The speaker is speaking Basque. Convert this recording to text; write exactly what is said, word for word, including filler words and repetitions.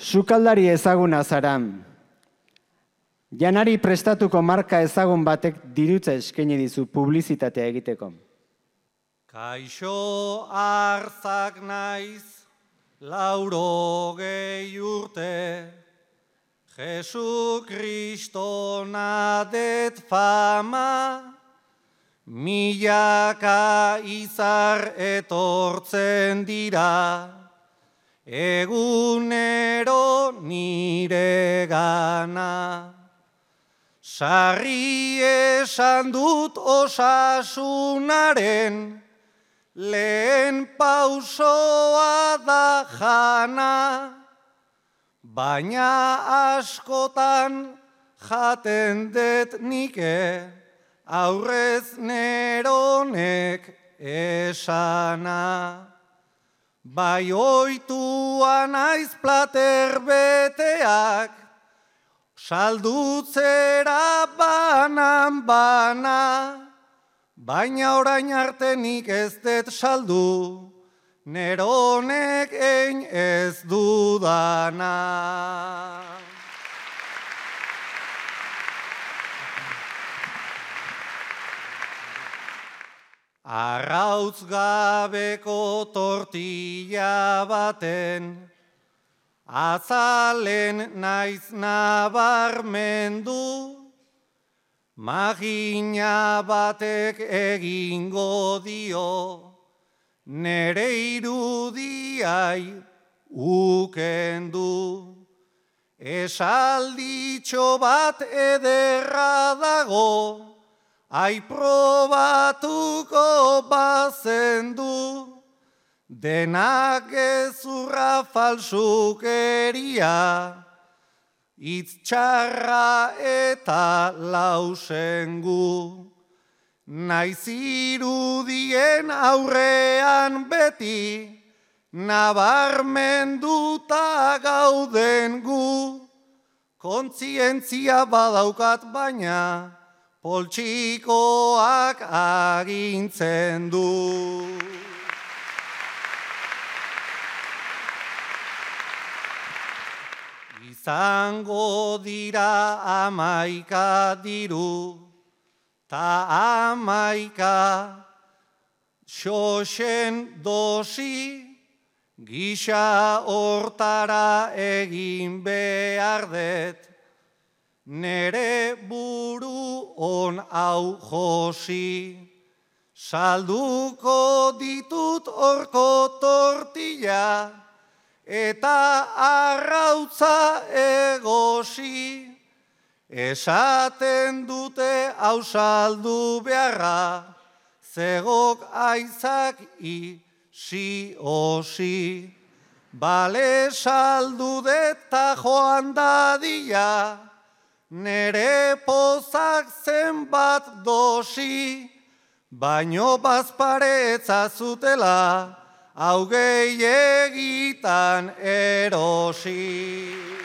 Sukaldari ezaguna zara. Janari prestatuko marka ezagun batek dirutza eskaini dizu publizitatea egiteko. Kaixo arzak naiz, laurogei urte, Jesu Kristo nadet fama, milaka izar etortzen dira, egunero nire gana. Sarri esan dut osasunaren, lehen pausoa da jana, baina askotan jaten det nike, aurrez neronek esana. Bai oitua naiz plater beteak, saldutzera banan bana, baina orain arte nik ez dut saldu, neronek ein ez dudana. Arrautz gabeko tortilla baten, azalen naiz nabarmendu, magina batek egingo dio, nere irudiai ukendu. Esalditxo bat ederra dago, ai probatuko bazendu, denak gezurra falsukeria, hitz txarra eta lausengu. Naiz irudien aurrean beti, nabarmenduta gauden gu, kontzientzia badaukat baina, poltsikoak agintzen du. Izango dira amaika diru, ta amaika xoxen dosi, gisa hortara egin behar det, nere buru on hau josi. Salduko ditut horko tortilla, eta arrautza egosi. Esaten dute hau saldu beharra, zegok aizak isi osi. Bale saldu deta joan dadia, nere pozak zenbat dosi, baino bazparetza zutela, hau gehiagitan erosi.